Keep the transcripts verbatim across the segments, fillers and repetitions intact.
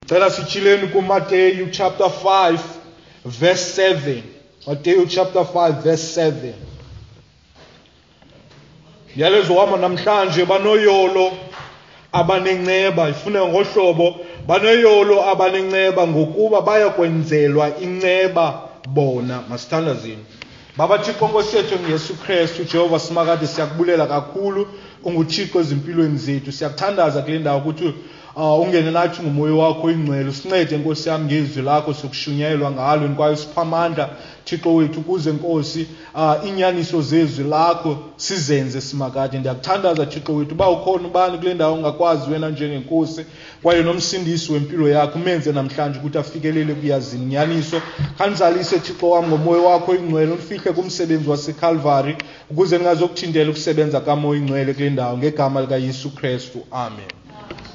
Cela sityhileni kuMateyu chapter five verse seven. Mateyu chapter five verse seven. Yalezo wama namhlanje banoyolo abanenceba, ifune ngohlobo banoyolo abanenceba ngokuba bayakwenzelwa inceba bona. Masithandazeni. Baba Thixo Nkosi yethu ngeYesu Kristu, Jehova simakade, siyakubulela kakhulu, unguThixo ezimpilweni zethu. Siyakuthandaza kule ndawo ukuthi uh, ungene nathi ngomoya wakho oyingcwele, usincede Nkosi yami ngezwi lakho sokushunyayelwa ngalo, kwaye usipha amandla Thixo wethu ukuze Nkosi uh, inyaniso zezwi lakho sizenze simakade. Ndiyakuthandaza Thixo wethu uba ukhona ubani kule ndawo ongakwazi wena njengenkosi kwaye nomsindisi wempilo yakho, umenze namhlanje ukuthi afikelele kuyazini inyaniso. Khanizalise Thixo wami ngomoya wakho oyingcwele, ufihle kumsebenzi waseCalvary ukuze ningazokuthintela ukusebenza kamoya oyingcwele kule ndawo, ngegama likaYesu Kristu, amen.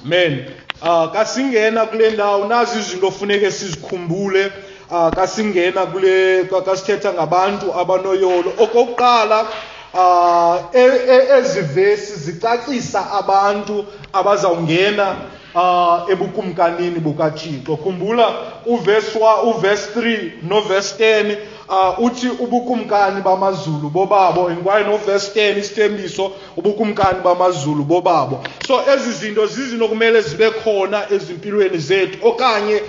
Amen. Uh, kasingena kule ndawo nazi izinto ofuneke sizikhumbule. Uh, kasingena kule kasithetha ngabantu abanoyolo. Okokuqala, uh, ezi vesi zicacisa abantu abazawungena uh, ebukumkanini bukaThixo. Khumbula uverse uverse three noverse ten uh, uthi ubukumkani bamazulu bobabo, kwaye noverse ten isithembiso ubukumkani bamazulu bobabo. So ezi zinto zizinto kumele zibe khona ezimpilweni zethu, okanye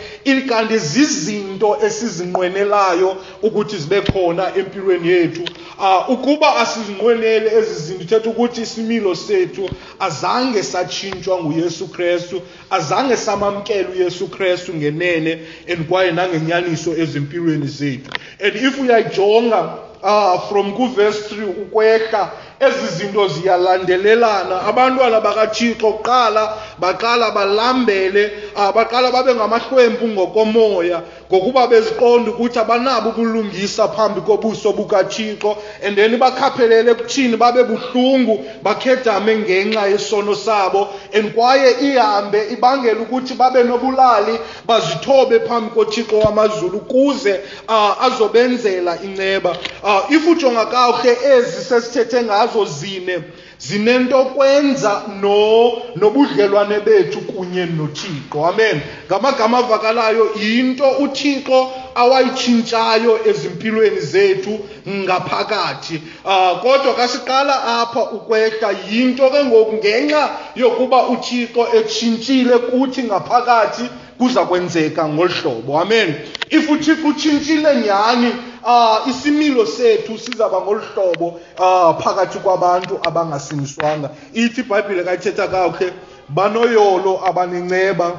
kanti zizinto esizinqwenelayo ukuthi zibe khona empilweni yethu. Uh, ukuba asizinqweneli ezi zinto, ithetha ukuthi isimilo sethu azange satshintshwa nguYesu Kristu, azange samamkela uYesu Kristu ngenene and kwaye nangenyaniso ezimpilweni zethu. And if uyayijonga uh, from kuverse three ukwehla, ezi zinto ziyalandelelana. Abantwana bakaThixo kuqala baqala balambele, uh, baqala babe ngamahlwempu ngokomoya, ngokuba beziqonda ukuthi abanabo ubulungisa phambi kobuso bukaThixo, and then bakhaphelele ekuthini babe buhlungu, bakhedame ngenxa yesono sabo, and kwaye ihambe ibangela ukuthi babe nobulali, bazithobe phambi koThixo wamazulu ukuze uh, azobenzela inceba. Uh, if ujonga kakuhle ezi sesithethe ngazo zine zinento kwenza no nobudlelwane bethu kunye noThixo. Amen. Ngamagama avakalayo, into uThixo awayitshintshayo ezimpilweni zethu ngaphakathi. Uh, kodwa kasiqala apha ukwehla, yinto ke ngoku ngenxa yokuba uThixo etshintshile kuthi ngaphakathi kuza kwenzeka ngolu hlobo. Amen. If uThixo utshintshile nyhani, uh, isimilo sethu sizaba ngolu hlobo uh, phakathi kwabantu abangasindiswanga. Ithi iBhayibhile kayithetha kakuhle, banoyolo abanenceba,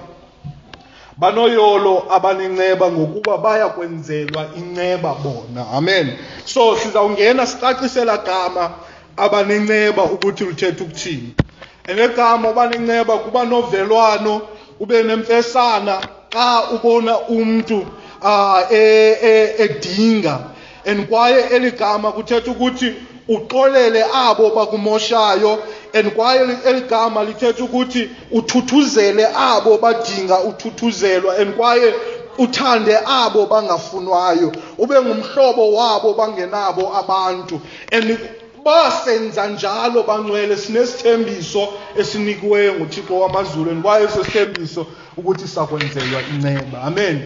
banoyolo abanenceba ngokuba bayakwenzelwa inceba bona. Amen. So sizawungena sicacisela gama abanenceba ukuthi lithetha ukuthini. Enegama abanenceba kuba novelwano, ube nemfesana xa ubona umntu uh, edinga. And kwaye eligama kuthetha ukuthi uxolele abo bakumoshayo, and kwaye eligama lithetha ukuthi uthuthuzele abo badinga uthuthuzelwa, and kwaye uthande abo bangafunwayo, ube ngumhlobo wabo bangenabo abantu. And basenza njalo bangcwele, sinesithembiso esinikiweyo nguThixo wamazulu, and kwaye eso sithembiso ukuthi sakwenzelwa inceba. Amen.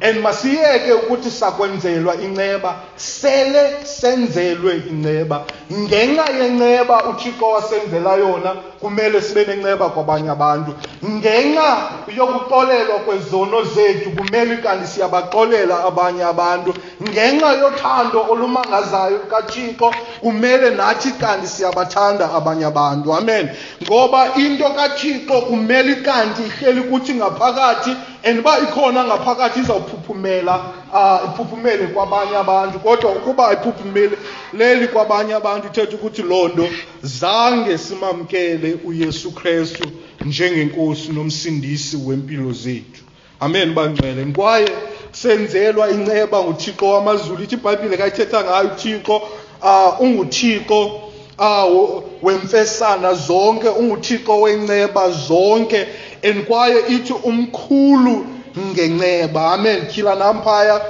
And masiyeke ukuthi sakwenzelwa inceba, sele senzelwe inceba. Ngenxa yenceba uThixo wasenzela yona, kumele sibe nenceba kwabanye abantu. Ngenxa yokuxolelwa kwezono zethu, kumele kanti siyabaxolela abanye abantu. Ngenxa yothando olumangazayo lukaThixo, kumele nathi kanti siyabathanda abanye abantu. Amen. Ngoba into kaThixo kumele kanti ihleli kuthi ngaphakathi, and uba ikhona ngaphakathi izawuphuphumela, uh, iphuphumele kwabanye abantu. Kodwa ukuba ayiphuphumele leli kwabanye abantu, ithetha ukuthi loo nto zange simamkele uYesu Kristu njengenkosi nomsindisi wempilo zethu. Amen bangcwele. Kwaye senzelwa inceba nguThixo wamazulu. Ithi iBhayibhile kayithetha ngayo uThixo, uh, unguThixo uh, wemfesana zonke, unguThixo wenceba zonke, and kwaye ithi umkhulu ngenceba. Amen. Tyhila namphaya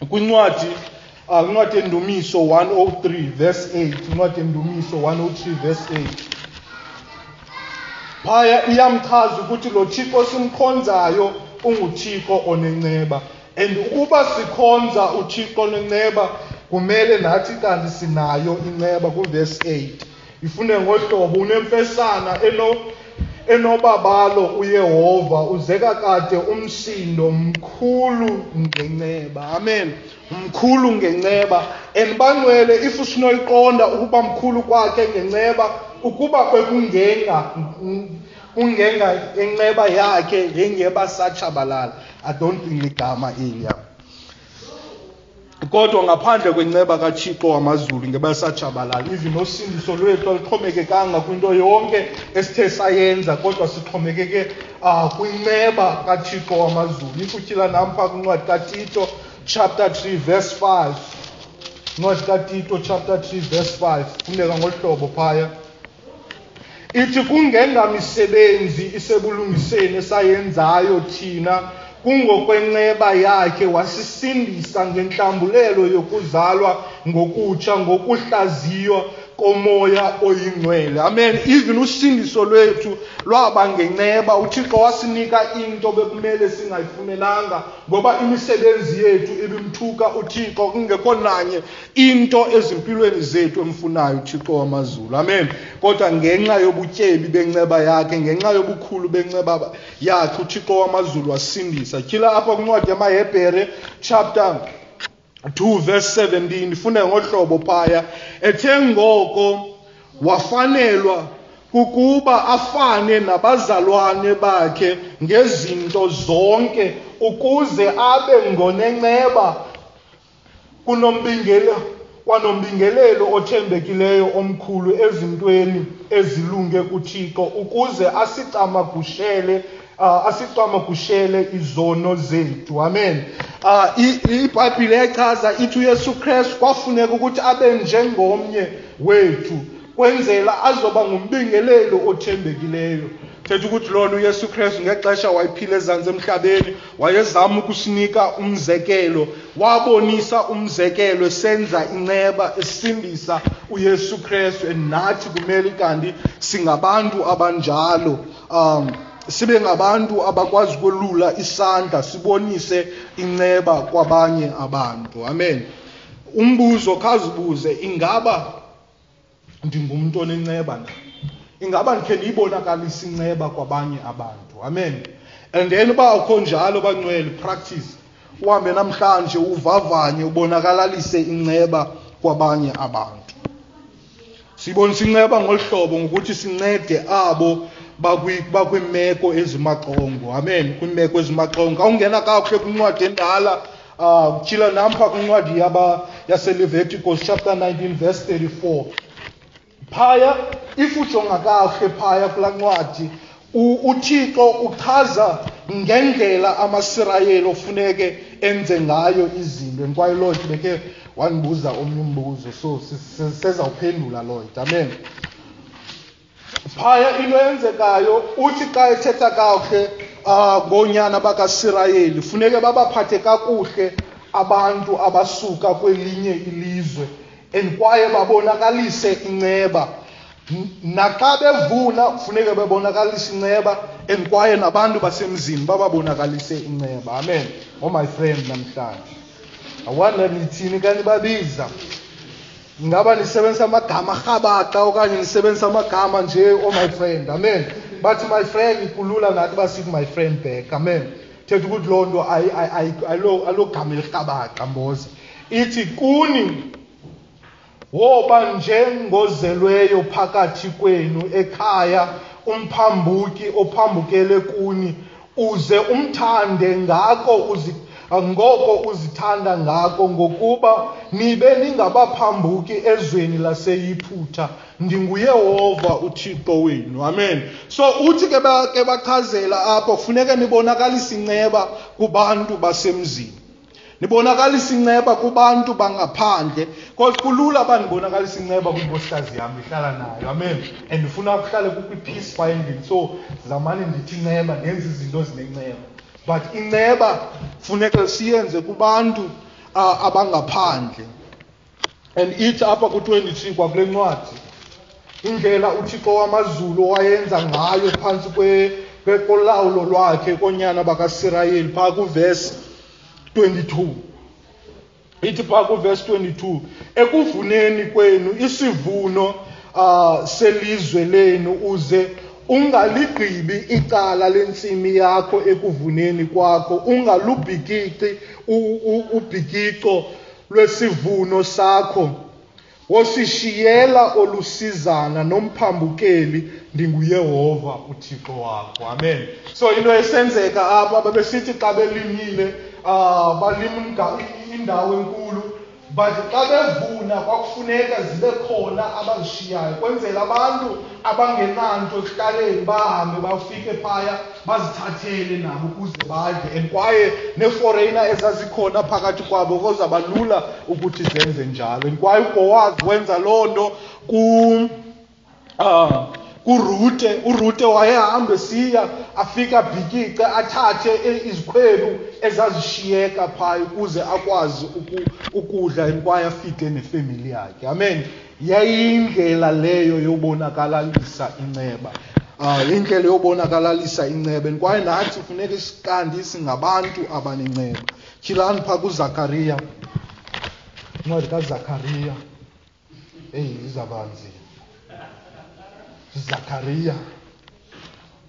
kwincwadi uh, incwadi yeNdumiso one oh three verse eight. Incwadi yeNdumiso one oh three verse eight. Phaya iyamchaza ukuthi lo Thixo simkhonzayo unguThixo onenceba. And ukuba sikhonza uThixo onenceba, kumele nathi kanti sinayo inceba. Kuvesi eight ifune ngohlobo unemfesana eno enobabalo uYehova, uzeka kade umsindo, mkhulu ngenceba. Amen. Mkhulu ngenceba. And bangcwele, if usinoyiqonda ukuba mkhulu kwakhe ngenceba, ukuba bekungenga kungenga inceba yakhe ngengeba satshabalala. I don't think ligama eliya. Kodwa ngaphandle kwenceba kaThixo wamazulu ngeba satshabalala. Even nosindiso lwethu aluxhomekekanga kwinto yonke esithe sayenza, kodwa sixhomekeke uh, kwinceba kaThixo wamazulu. If utyhila nam phaa kwincwadi kaTito chapter three verse five. Incwadi kaTito chapter three verse five. Fundeka ngohlobo phaya. Ithi kungengamisebenzi isebulungiseni esayenzayo thina, kungokwenceba yakhe wasisindisa ngentlambulelo yokuzalwa ngokutsha ngokuhlaziywa komoya oyingcwele. Amen. Even usindiso lwethu lwaba ngenceba. UThixo wasinika into bekumele singayifumelanga, ngoba imisebenzi yethu ibimthuka uThixo, kungekho nanye into ezimpilweni zethu emfunayo uThixo wamazulu. Amen. Kodwa ngenxa yobutyebi benceba yakhe, ngenxa yobukhulu benceba yakhe, uThixo wamazulu wasindisa. Tyhila apha kwincwadi yamaHebhere chapter two verse seventeen, ifune ngohlobo phaya. Ethe ngoko wafanelwa kukuba afane nabazalwane bakhe ngezinto zonke, ukuze abe ngonenceba kunombingelelo kwanombingelelo othembekileyo omkhulu ezintweni ezilunge kuThixo, ukuze asicamagushele Uh, asicamagushele izono zethu. Amen. Uh, iBhayibhile yachaza ithi uYesu Kristu kwafuneka ukuthi abe njengomnye wethu, kwenzela azoba ngumbingelelo othembekileyo. Thetha ukuthi lona uYesu Kristu ngexesha wayephila ezantsi emhlabeni wayezama ukusinika umzekelo, wabonisa umzekelo esenza inceba, esindisa uYesu Kristu. Nathi kumele kanti singabantu abanjalo, um sibe ngabantu abakwazi ukwelula isandla sibonise inceba kwabanye abantu. Amen. Umbuzo khazibuze, ingaba ndingumntu onenceba na? Ingaba ndikhe ndiyibonakalise inceba kwabanye abantu? Amen. And then uba akho njalo bangcwele, practice. Uhambe namhlanje uvavanye, ubonakalalise inceba kwabanye abantu. Sibonisa inceba ngolu hlobo ngokuthi sincede abo bakwimeko ezimaxongo. Amen. Kwimeko ezimaxongo. Awungena kakuhle kwincwadi endala, uh, tyhila nampha kwincwadi yaba yaseLeviticus chapter nineteen verse thirty-four. Phaya, if ujonga kakuhle phaya kulaa ncwadi, uThixo uchaza ngendlela amaSirayeli ofuneke enze ngayo izinto. Kwaye Lord beke wandibuza omnye umbuzo, so sezawuphendula Lord. Amen. Phaya into eyenzekayo, uthi xa ethetha kakuhle uh, ngoonyana bakaSirayeli, funeke babaphathe kakuhle abantu abasuka kwelinye ilizwe, and kwaye babonakalise inceba. Naxa bevuna funeke bebonakalise inceba, and kwaye nabantu basemzini bababonakalise inceba. Amen. Oh my friend, namhlanje awanda nithini kanti babiza? Ingaba nisebenzisa amagama arhabaxa okanye nisebenzisa amagama nje, oh my friend? Amen. Bathi my friend, kulula nathi basithi my friend back. Amen. Thetha ukuthi loo nto alogama elirhabaxa mboza. Ithi kuni woba njengozelweyo phakathi kwenu ekhaya, umphambuki ophambukele kuni, uze umthande ngako uzi ngoko uzithanda ngako, ngokuba nibe ningabaphambuki ezweni laseYiphutha. NdinguYehova uThixo wenu. Amen. So uthi ke ke bachazela apho, funeke nibonakalise inceba kubantu basemzini, nibonakalise inceba kubantu bangaphandle. Because kulula bandibonakalisa inceba kwinkosikazi yam ndihlala nayo. Amen. And ndifuna kuhlale kukho i-peace phaa endlini, so zamane ndithi inceba, ndenze izinto ezinenceba. But inceba funeka siyenze kubantu uh, abangaphandle. And ithi apha ku-twenty-three kwakule ncwadi, Indlela uThixo wamazulu wayenza ngayo phantsi kolawulo lwakhe koonyana bakaSirayeli phaa kuvesi twenty-two. Ithi phaa kuvesi twenty-two, ekuvuneni kwenu isivuno uh, selizwe lenu uze ungaligqibi icala lentsimi yakho ekuvuneni kwakho, ungalubhikici ubhikico lwesivuno sakho, wosishiyela olusizana nomphambukeli, ndinguYehova uThixo wakho. Amen. So into esenzeka apha, babesithi xa belimile uh, balima indawo enkulu, but xa bevuna kwakufuneka zibe khona abazishiyayo kwenzela abantu abangenanto ekuhlaleni bahambe bafike phaya bazithathele nabo ukuze badle. And kwaye neeforeigner ezazikhona phakathi kwabo kozaba lula ukuthi zenze njalo. And kwaye uBhowazi wenza loo nto ku uh, kuRute. uRute wayehamba esiya afike abhikice athathe izikhwebu ezazishiyeka phaya ukuze akwazi ukudla kwaye afike nefemili yakhe. Amen. Yayindlela leyo yobonakalalisa inceba. Ah, indlela yobonakalalisa inceba. Kwaye nathi kufuneka siqandi singabantu abanenceba. Tyhilani phaa kuZakariya. Incwadi kaZakariya. Eyi, izawuba nzima. Zakariya.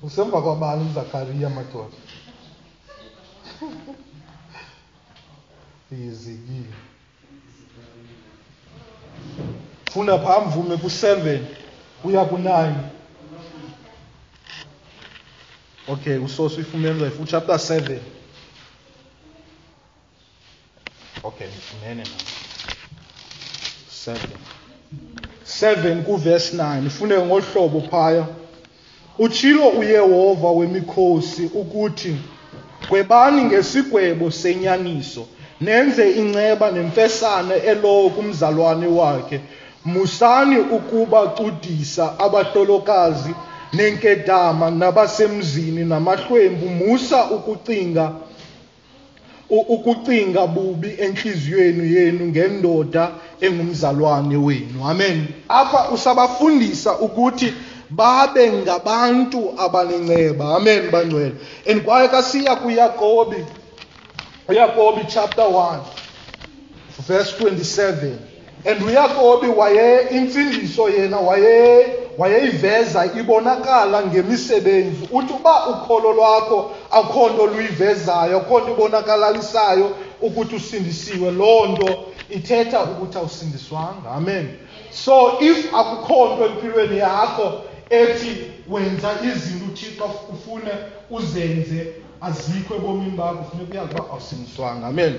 Usemva kwabani uZakariya madoda? Yezekile. Funda phaa mvume ku-seven uya ku-nine. Okay, usoso uyifumene uzayifu chapter seven. Okay, ndifumene nam. Seven. Seven kuverse nine. Ifune ngohlobo phaya. Utshilo uYehova wemikhosi ukuthi gwebani ngesigwebo senyaniso, nenze inceba nemfesane elowo kumzalwane wakhe. Musani ukubacudisa abahlolokazi nenkedama nabasemzini namahlwempu. Musa ukucinga ukucinga bubi enhliziyweni yenu ngendoda engumzalwane wenu. Amen. Apha usabafundisa ukuthi babe ngabantu abanenceba. Amen bangcwele. And kwaye kasiya kuYakobi, uYakobi chapter one verse twenty-seven. And uYakobi waye imfundiso yena waye wayeyiveza ibonakala ngemisebenzi. Uthi uba ukholo lwakho akho nto luyivezayo, akho nto ibonakalalisayo ukuthi usindisiwe, loo nto ithetha ukuthi awusindiswanga. Amen. So if akukho nto empilweni yakho ethi wenza izinto uThixo ufune uzenze azikho ebomini bakho, funeka uyazi uba awusindiswanga. Amen.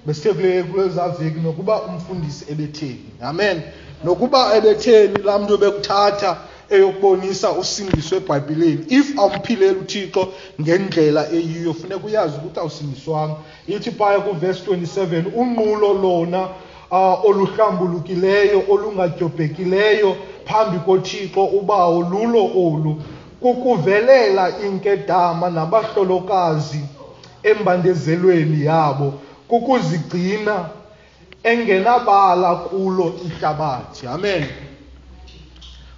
Besithe kule kuleza veki nokuba umfundisi ebetheni. Amen. Nokuba ebetheni laa mntu ebekuthatha eyokubonisa usindiso eBhayibhileni, if awumphileli uThixo ngendlela eyiyo, funeka uyazi ukuthi awusindiswanga. Ithi phaya kuverse twenty-seven, unqulo lona uh, oluhlambulukileyo olungadyobhekileyo phambi koThixo ubawo lulo olu, kukuvelela inkedama nabahlolokazi embandezelweni yabo, kukuzigcina engenabala kulo ihlabathi. Amen.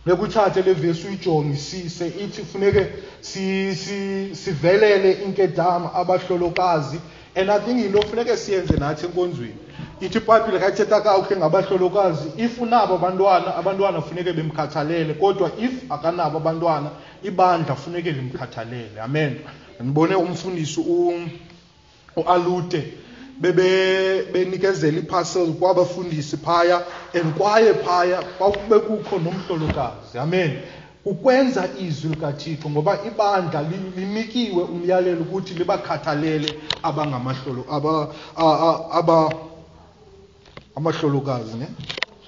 Nekuthathe le verse uyijongisise, ithi funeke si, si, sivelele inkedama abahlolokazi. And I think yinto funeke siyenze nathi enkonzweni. Ithi iBhayibhile kayithetha kakuhle ngabahlolokazi, if unabo abantwana, abantwana funeke bemkhathalele, kodwa if akanabo abantwana, ibandla funeke limkhathalele. Amen. Ndibone umfundisi uAlute bebe benikezela iparcel kwabafundisi phaya, and kwaye phaya kwakube kukho nomhlolokazi. Amen. Ukwenza izwi likaThixo, ngoba ibandla linikiwe umyalelo ukuthi libakhathalele abangamahlolo aba aba amahlolokazi, ne?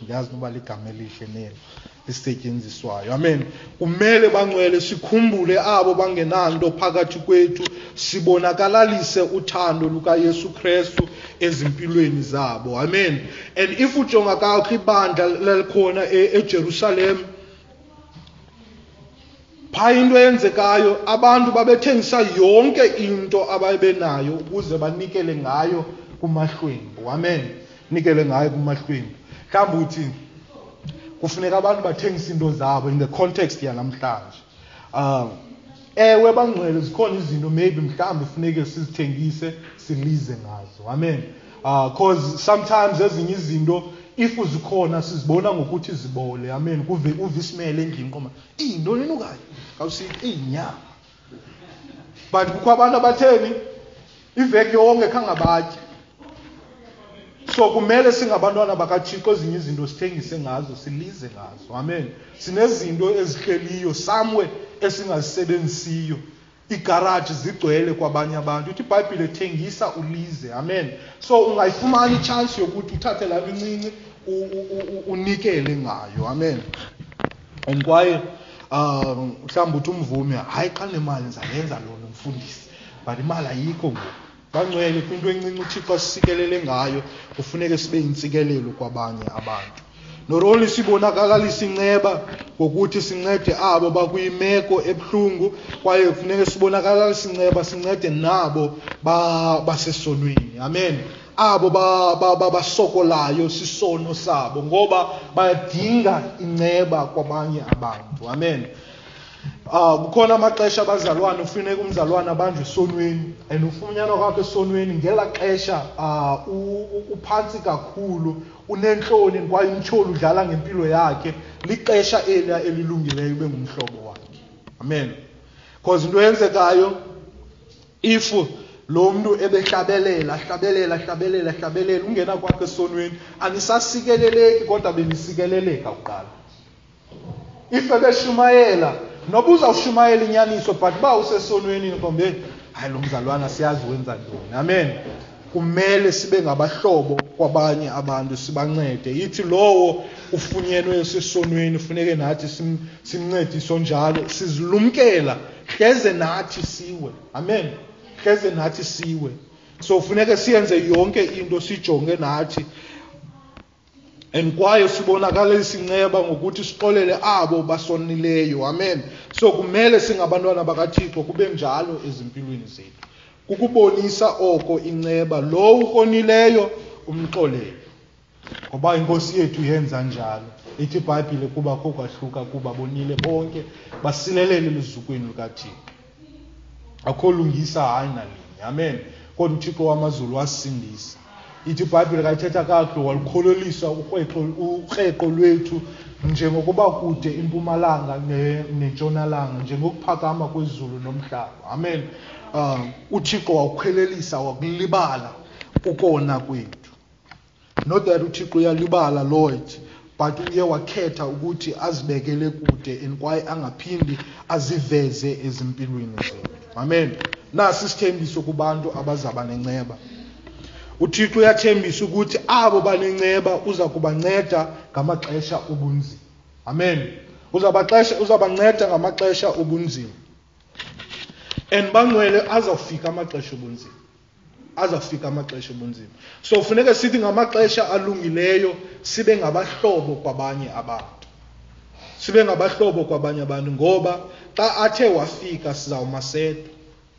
Ndiyazi noba ligama elihle nelo lisetyenziswayo. Amen. Kumele bangcwele sikhumbule abo bangenanto phakathi kwethu, sibonakalalise uthando lukaYesu Kristu ezimpilweni zabo. Amen. And if ujonga kakuhle ibandla lelikhona eJerusalem, phaa into eyenzekayo, abantu babethengisa yonke into ababenayo ukuze banikele ngayo kumahlwempu. Amen. Nikele ngayo kumahlwempu. Mhlawumbi uthi Kufuneka abantu bathengise into zabo in the context yanamhlanje. Um ewe bangcwele, zikhona izinto maybe mhlawumbi funeke sizithengise silize ngazo. Amen. Uh, cause sometimes ezinye izinto if zikhona sizibona ngokuthi zibole. Amen. Kuve uve isimele endlini qoma iyintoni enukayo awusithi iyinyama, but kukho abantu abatheni iveki yonke khangabatye. So kumele singabantwana bakaThixo ezinye izinto sithengise ngazo, silize ngazo. Amen. Sinezinto ezihleliyo somewhere esingazisebenzisiyo. Iigaraji zigcwele kwabanye abantu. Ithi iBhayibhile thengisa ulize. Amen. So ungayifumana i-chance yokuthi uthathe laa nto incinci unikele ngayo. Amen. And kwaye um mhlawumbi uthi umvumi, hayi xa nemali ndizayenza loo nto mfundisi, but imali ayikho ngoku. Bangcwele, kwinto encinci uThixo asisikelele ngayo kufuneke sibe yintsikelelo kwabanye abantu. Not only sibonakalalisa inceba ngokuthi sincede abo bakwimeko ebuhlungu, kwaye kufuneke sibonakalalise inceba sincede nabo basesonweni. Amen. Abo basokolayo sisono sabo, ngoba bayadinga inceba kwabanye abantu. Amen. Ah, kukhona amaxesha abazalwane ufuneka umzalwane abanjwe esonweni, and ufunyanwa kwakhe esonweni ngela xesha uphantsi kakhulu, unentloni kwaye umtyholi udlala ngempilo yakhe. Lixesha eliya elilungileyo ube ngumhlobo wakhe. Amen. Because into eyenzekayo, if lo mntu ebehlabelela hlabelela hlabelela hlabelela ungena kwakhe esonweni, anisasikeleleki kodwa benisikeleleka kuqala. If ebeshumayela, noba uzawushumayela inyaniso, but uba usesonweni nkombe, hayi lo mzalwana siyazi wenza ntoni. Amen. Kumele sibe ngabahlobo kwabanye abantu, sibancede. Ithi lowo ufunyenwe esesonweni funeke nathi simncedise onjalo, sizilumkela hleze nathi siwe. Amen. Hleze nathi siwe. So funeke siyenze yonke into sijonge nathi. And kwaye sibonakalisa inceba ngokuthi sixolele abo basonileyo. Amen. So kumele singabantwana bakaThixo kube njalo ezimpilweni zethu. Kukubonisa oko inceba, lo ukonileyo umxolele. Ngoba inkosi yethu yenza njalo. Ithi iBhayibhile kuba kokwahluka kuba bonile bonke basilelele eluzukweni lukaThixo. Akho lungisa hayi nalinye. Amen. Kodwa uThixo wamazulu wasindisa. Ithi iBhayibhile kayithetha kakuhle, walukholelisa ukreqo lwethu njengokuba kude impumalanga nentshonalanga, njengokuphakama kwezulu nomhlaba. Amen. Uh, uThixo wawukholelisa wakulibala ukona kwethu. Not that uThixo uyalibala, Lord, but uye wakhetha ukuthi azibekele kude and kwaye angaphindi aziveze ezimpilweni zethu. Amen. Nasi isithembiso kubantu abazaba nenceba. uThixo uyathembisa ukuthi abo banenceba uza kubanceda ngamaxesha obunzima. Amen. Uzabaxesha uzabanceda ngamaxesha obunzima. And bangcwele azawufika amaxesha obunzima. Azawufika amaxesha obunzima. So funeka sithi ngamaxesha alungileyo sibe ngabahlobo kwabanye abantu. Sibe ngabahlobo kwabanye abantu ngoba xa athe wafika sizawumasedwa.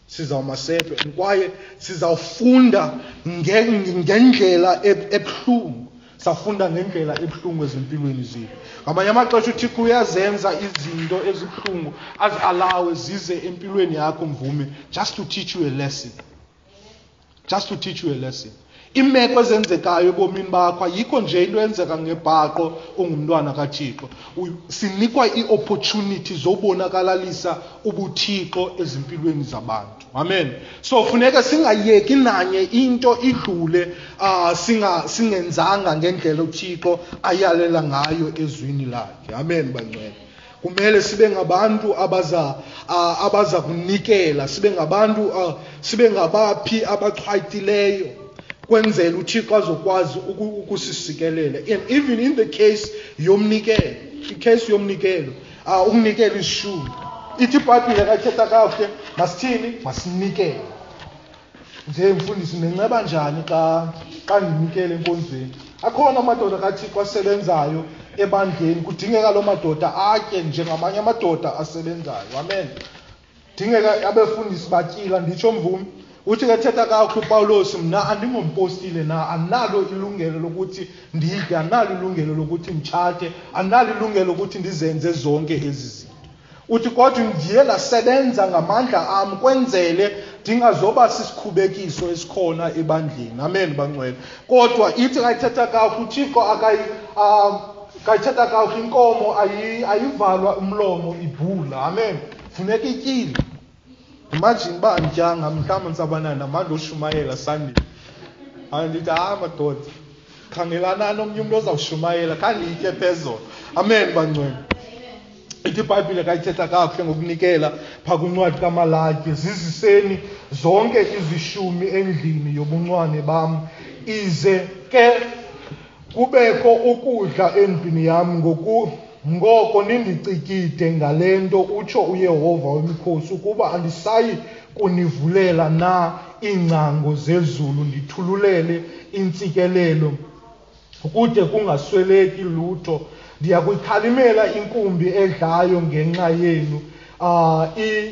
Sizawumasedwa and kwaye sizawufunda ngendlela ebuhlungu. Safunda ngendlela ebuhlungu ezimpilweni zethu. Ngamanye amaxesha uThixo uyazenza izinto ezibuhlungu azialawe zize empilweni yakho mvume, just to teach you a lesson. Just to teach you a lesson. Imeko ezenzekayo ebomini bakho ayikho nje into eyenzeka ngebhaqo ungumntwana kaThixo. Sinikwa ii-opportunity zobonakalalisa ubuThixo ezimpilweni zabantu. Amen. So funeka singayeki nanye into idlule uh, singa singenzanga ngendlela uThixo ayalela ngayo ezwini lakhe. Amen bangcwele. Kumele sibe ngabantu abaza uh, abaza kunikela, sibe ngabantu uh, sibe ngabaphi abachwayitileyo kwenzela uThixo azokwazi ukusisikelela. And even in the case yomnikelo, icase yomnikelo, uh, ukunikela ishumi. Ithi iBhayibhile kayithetha kakuhle, masithini? Masinikele. Nje mfundisi nenceba njani xa xa ndinikele enkonzweni? Akhona amadoda kaThixo asebenzayo ebandleni, kudingeka loo madoda atye njengamanye amadoda asebenzayo. Amen. Dingeka abefundisi batyila, nditsho mvumi. Uthi ke thetha kakuhle uPawulos, mna andingompostile na, andinalo ilungelo lokuthi ndidle, andinalo ilungelo lokuthi nditshate, andinalo ilungelo lokuthi ndizenze zonke ezi zinto. Uthi kodwa ndiye ndasebenza ngamandla am kwenzele ndingazoba sisikhubekiso esikhona ebandleni. Amen bangcwele. Kodwa ithi kayithetha kakuhle uThixo akayi kayithetha kakuhle inkomo ayivalwa umlomo ibhula. Amen. Funeka ityile. Imagine uba andityanga mhlawumbi ndisabana namandla oshumayela Sunday. Andithi hayi madoda, khangelanani omnye umntu ozawushumayela, khanditye phezolo. Amen bangcwele. Ithi iBhayibhile kayithetha kakuhle ngokunikela phaa kwincwadi kaMalaki, ziziseni zonke izishumi endlini yobuncwane bam, ize ke kubekho ukudla endlini yam, ngoku ngoko nindicikide ngale nto, utsho uYehova wemikhosi, ukuba andisayi kunivulela na iingcango zezulu, ndithululele intsikelelo kude kungasweleki lutho. Ndiya kuyikhalimela inkumbi edlayo ngenxa yenu, uh,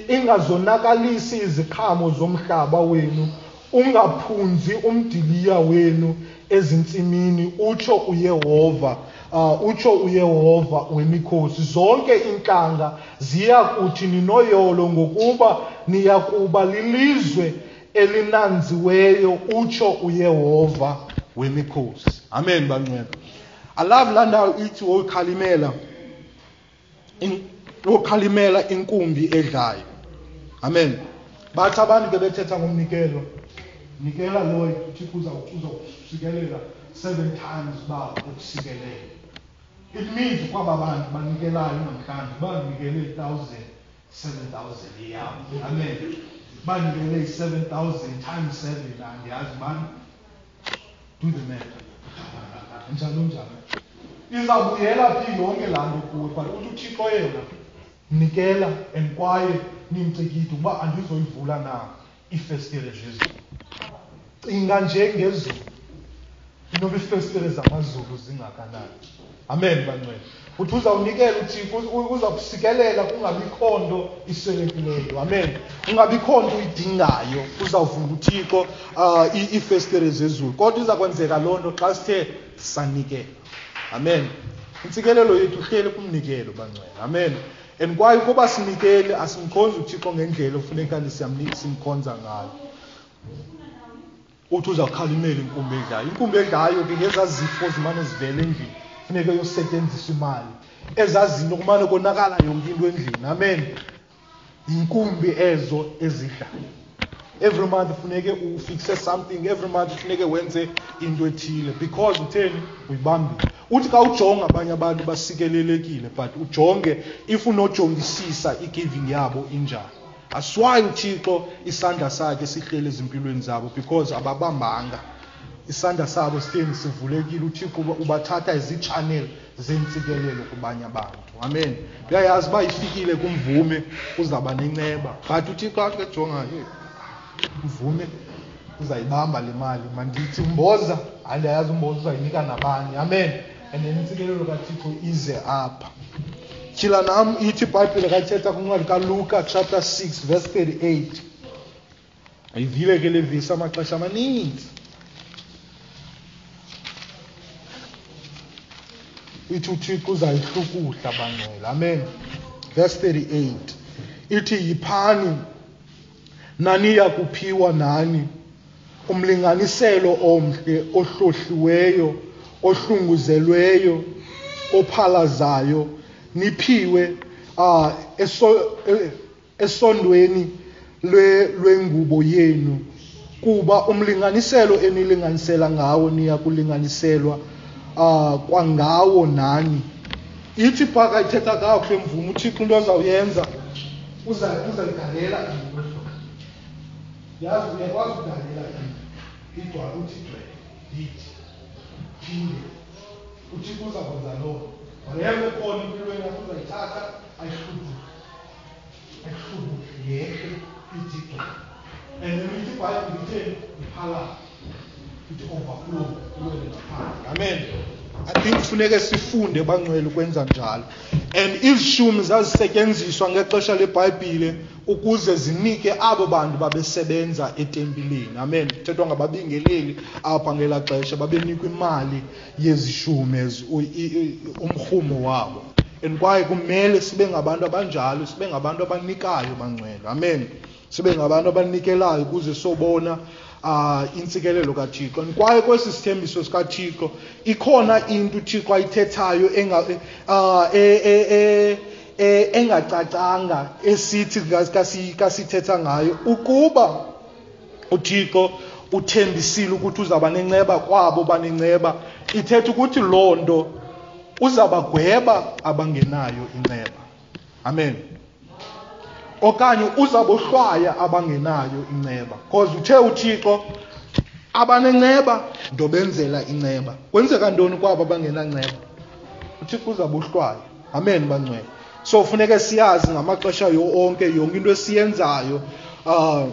ingazonakalisi iziqhamo zomhlaba wenu, ungaphunzi umdiliya wenu ezintsimini, utsho uYehova, uh, utsho uYehova wemikhosi. Zonke iintlanga ziya kuthi ninoyolo, ngokuba niya kuba lilizwe elinanziweyo, utsho uYehova wemikhosi. Amen bangcwele. I love laa ndawo ithi wokhalimela wokhalimela inkumbi edlayo. Amen. Bathi abantu ke bethetha ngomnikelo, nikela loyo uThixo uzakusikelela seven times uba ukusikelele. It means kwaba bantu banikelayo namhlanje banikele i-thousand, seven thousand yabo. Amen. Banikele i-seven thousand times seven, andiyazi bani. Do the math. Njalo njalo. Izawubuyela phi yonke laa nto kuwe, but uthi uThixo yena nikela and kwaye nimcikide ukuba andizoyivula na iifestile zezulu. Cinga nje ngezulu, inoba iifestile zamazulu zingakanani. Amen bangcwele. Uthi uzawunikela uThixo, uzakusikelela kungabikho nto iswelekileyo. Amen. Kungabikho nto uyidingayo, uzawuvula uThixo uh, iifestile zezulu. Kodwa iza kwenzeka loo nto xa sithe sanikela. Amen. Intsikelelo yethu ihleli kumnikelo bangcwele. Amen. And kwaye ukuba sinikele asimkhonzi uThixo ngendlela ofuneka simkhonza ngayo. Uthi uzawukhalimela inkumbi edlayo. Inkumbi edlayo ke ngezaa zifo zimane zivela endlini, funeka yosetyenziswa imali. Ezaa zinto kumane konakala yonke into endlini. Amen. Yinkumbi ezo ezidlayo. Every month funeke ufixe something, every month funeke wenze into ethile because utheni uyibambile. Uthi xa ujonga abanye abantu basikelelekile, but ujonge if unojongisisa i-giving yabo injani. Aswayi uThixo isandla sakhe sihleli ezimpilweni zabo because ababambanga. Isandla sabo sitheni sivulekile, uThixo ubathatha izi-channel zentsikelelo kubanye abantu. Amen. Uyayazi uba ifikile kumvume uzawuba nenceba, but uThixo athi ke jonga, mvume uzayibamba le mali, mandithi umboza, andiyazi umboza uzayinika nabani. Amen. And then intsikelelo kaThixo ize apha. Tyhila nam ithi iBhayibhile kayithetha kwincwadi kaLuka chapter six verse thirty-eight. Ayivile ke le vesi amaxesha amaninzi. Ithi uThixo uzayihlukuhla bangcwele. Amen. Verse thirty-eight. Ithi yiphani naniya kuphiwa nani, umlinganiselo omhle ohlohliweyo, ohlunguzelweyo, ophalazayo, niphiwe uh, eso, esondweni lwengubo yenu, kuba umlinganiselo enilinganisela ngawo niya kulinganiselwa uh, kwangawo nani. Ithi phaka ithetha kakuhle mvumo, uThixo into azawuyenza uzayigalela into. Yazi uyakwazi ukugalela into igcwale, uthi gcwele yithi phinde uThixo uzakwenza loo nto. Whatever ekhona empilweni yakho uzayithatha ayihlubule, ayihlubule yehle ithi gcwele. And then ithi iBhayibhile itheni? Iphalala, ithi overflow iwele ngaphandle. Amen. I think funeke sifunde bangcwele ukwenza njalo. And izishumi zazisetyenziswa ngexesha leBhayibhile ukuze zinike abo bantu babesebenza etempileni. Amen. Kuthethwa ngababingeleli apha ngelaa xesha, babenikwa imali yezishumi, umrhumo wabo. And kwaye kumele sibe ngabantu abanjalo, sibe ngabantu abanikayo bangcwele. Amen. Sibe ngabantu abanikelayo ukuze sobona Uh, intsikelelo kaThixo. Kwaye kwesi sithembiso sikaThixo ikhona into uThixo ayithethayo enga uh, e, e, e, engacacanga esithi kasithetha ngayo. Ukuba uThixo uthembisile ukuthi uzawuba nenceba kwabo banenceba, ithetha ukuthi loo nto uzabagweba abangenayo inceba. Amen. Okanye uzabohlwaya abangenayo inceba. Because uthe uThixo abanenceba ndobenzela inceba. Kwenzeka ntoni kwabo abangenanceba? uThixo uzabohlwaya. Amen bangcwele. So funeke siyazi ngamaxesha onke, yonke into esiyenzayo uh,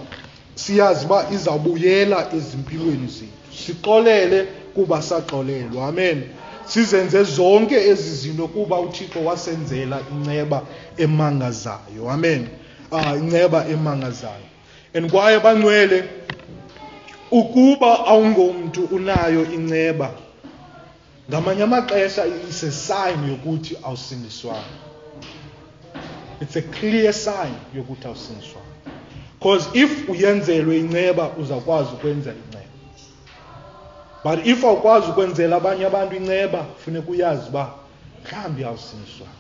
siyazi uba izawubuyela ezimpilweni zethu. Sixolele kuba saxolelwa. Amen. Sizenze zonke ezi zinto kuba uThixo wasenzela inceba emangazayo. Amen. Ah, inceba emangazayo. And kwaye bangcwele, ukuba awungomntu unayo inceba, ngamanye amaxesha it's a sign yokuthi awusindiswanga. It's a clear sign yokuthi awusindiswanga. Because if uyenzelwe inceba, uzakwazi ukwenza inceba. But if awukwazi ukwenzela abanye abantu inceba, funeka uyazi uba mhlawumbi awusindiswanga.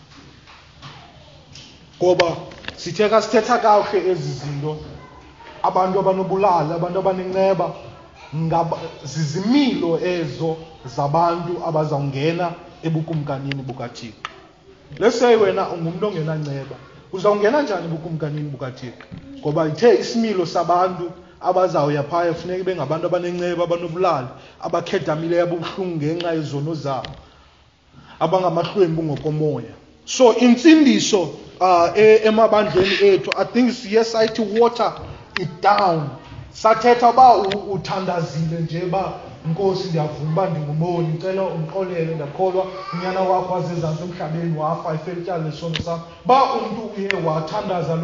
Ngoba sithe ka sithetha kakuhle ezi zinto, abantu abanobulali, abantu abanenceba, zizimilo ezo zabantu abazawungena ebukumkanini bukaThixo. Let's say wena ungumntu ongenanceba, uzawungena njani ebukumkanini bukaThixo? Ngoba ithe isimilo sabantu abazawuya phaya funeka ibe ngabantu abanenceba, abanobulali, abakhedamileyo, ababuhlungu ngenxa yezono zabo, abangamahlwempu ngokomoya. So intsindiso uh, emabandleni ethu, I think siye sayithi water it down. Sathetha uba uthandazile nje uba Nkosi ndiyavuma uba ndingumoni, ndicela undixolele, ndiyakholwa unyana wakho wazezantsi emhlabeni wafa efela ityala lesono sam. Uba umntu uye wathandaza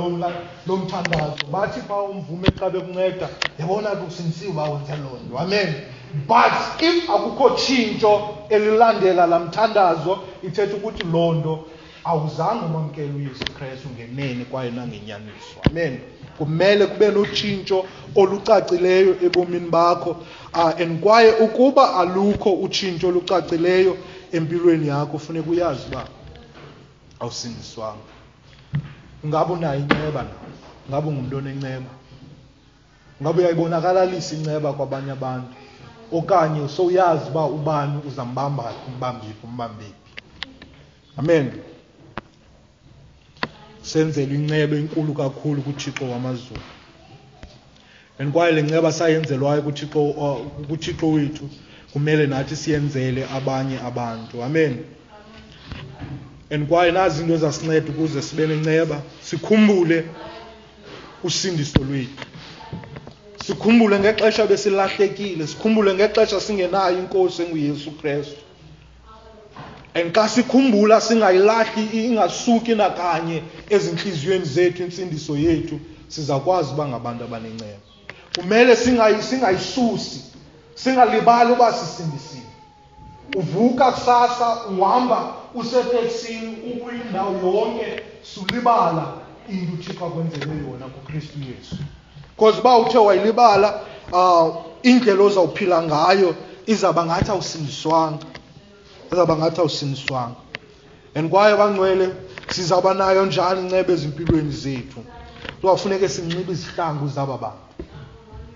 lo mthandazo, bathi phaa umvume xa bekunceda, yabona ke usindisiwe uba wenze loo nto. Amen. But if akukho tshintsho elilandela laa mthandazo, ithetha ukuthi loo nto awuzange umamkele uYesu Kristu ngenene kwaye nangenyaniso. Amen. Kumele kube notshintsho olucacileyo ebomini bakho. Uh, and kwaye ukuba alukho utshintsho olucacileyo empilweni yakho, funeka uyazi uba awusindiswanga. Ungabe unayo inceba na? Ungabe ungumntu onenceba? Ungabe uyayibonakalisa inceba kwabanye abantu? Okanye sowuyazi uba ubani uzambamba, umbambiphi, umbambiphi. Amen. Senzele inceba enkulu kakhulu kuThixo wamazulu. And kwaye le nceba sayenzelwayo kuThixo, kuThixo wethu, kumele nathi siyenzele abanye abantu. Amen. And kwaye nazi izinto ezasinceda ukuze sibe nenceba, sikhumbule usindiso lwethu. Sikhumbule ngexesha besilahlekile, sikhumbule ngexesha singenayo inkosi enguYesu Kristu. And xa sikhumbula singayilahli, ingasuki nakanye ezintliziyweni zethu intsindiso yethu, sizakwazi uba ngabantu abanenceba. Kumele singayisusi, singalibali uba sisindisiwe. Uvuka kusasa, uhamba useteksini, ukwindawo yonke, sulibala into uThixo akwenzele yona kuKristu Yesu. Because uba uthe wayilibala, uh, indlela ozawuphila ngayo izawuba ngathi awusindiswanga. Izawuba ngathi awusindiswanga. And kwaye bangcwele, sizawuba nayo njani inceba ezimpilweni zethu? Kufuneka sinxibe izihlangu zaba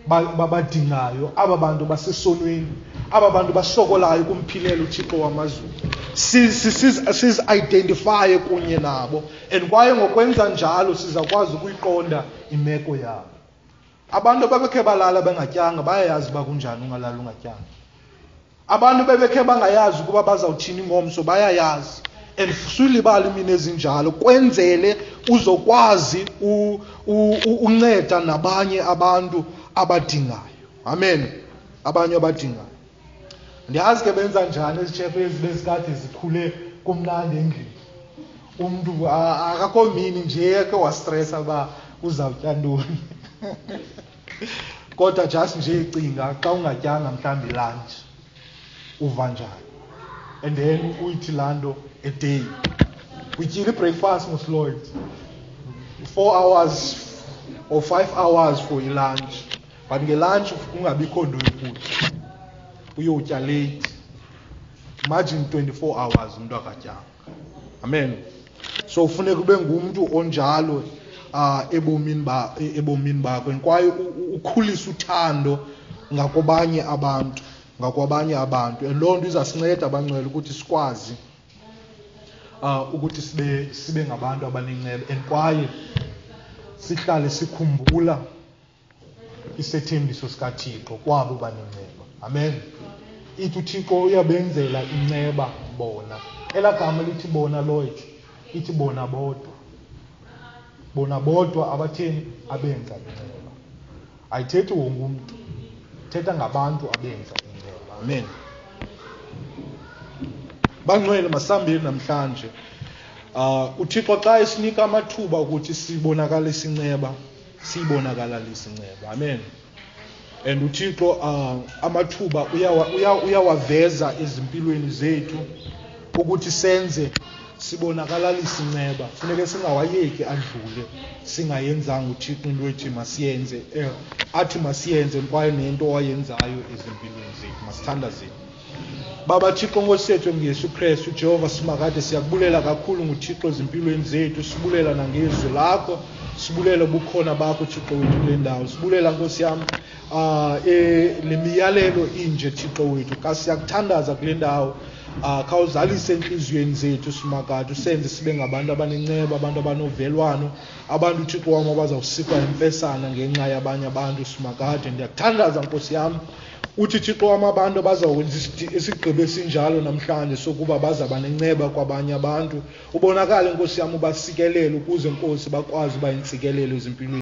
bantu babadingayo, aba bantu basesonweni, aba bantu basokolayo kumphilela uThixo wamazulu. Sizi-identifye kunye nabo, and kwaye ngokwenza njalo sizakwazi ukuyiqonda imeko yabo. Abantu ababekhe balala bengatyanga bayayazi uba kunjani ungalala ungatyanga. Abantu bebekhe bangayazi ukuba bazawuthini ngomso bayayazi. And sulibala imini ezinjalo, kwenzele uzokwazi unceda nabanye abantu abadingayo. Amen. Abanye abadingayo. Ndiyazi ke benza njani ezitshepe ezi bezikade zikhule kumnandi endlini. Umntu akakho mini nje eke wastressa uba uzawutya ntoni. Kodwa just nje icinga xa ungatyanga mhlawumbi lunch uva njani. And then uyithi laa nto a day. Utyile i-breakfast mos Lloyd. Four hours or five hours for i-lunch. But nge-lunch kungabikho nto yokutya. Uyotya late. Imagine twenty-four hours umntu akatyanga. Amen. So funeka ube ngumntu onjalo uh, ebomini ba ebomini bakho, kwaye ukhulise uthando ngakwabanye abantu, ngakwabanye abantu. And loo nto izasinceda abangcwele ukuthi sikwazi uh, ukuthi sibe sibe ngabantu abanenceba, and kwaye sihlale sikhumbula isethembiso sikaThixo kwabo banenceba. Amen. Ithi uThixo uyabenzela inceba bona. Elaa gama lithi bona Lloyd, ithi bona bodwa. Bona bodwa abatheni abenza inceba. Ayithethi wonke umntu, ithetha ngabantu abenza inceba. Amen. Bangcwele, masihambeni namhlanje. Uh, uThixo xa esinika amathuba ukuthi sibonakalise inceba, siyibonakalise inceba. Amen. And uThixo uh, amathuba uyawaveza ezimpilweni zethu ukuthi senze sibonakalise inceba. Funeke singawayeki adlule singayenzanga uThixo into ethi masiyenze, eh, athi masiyenze kwaye nento owayenzayo ezimpilweni zethu. Masithandazeni. Baba Thixo Nkosi yethu ngeYesu Kristu, Jehova simakade, siyakubulela kakhulu nguThixo ezimpilweni zethu, sibulela nangezwi lakho, sibulela ubukhona bakho Thixo wethu kule ndawo, sibulela Nkosi yam uh, e, le miyalelo inje Thixo wethu. Ka siyakuthandaza kule ndawo, uh, khawuzalise entliziyweni zethu simakade, usenze sibe ngabantu abanenceba, abantu abanovelwano, abantu Thixo wam abazawusikwa imfesana ngenxa yabanye abantu simakade. Ndiyakuthandaza Nkosi yam, uthi Thixo wam abantu abazawukwenza isigqibo esinjalo namhlanje sokuba bazaba nenceba kwabanye abantu, ubonakale Nkosi yam ubasikelele ukuze Nkosi bakwazi uba intsikelelo ezimpilweni.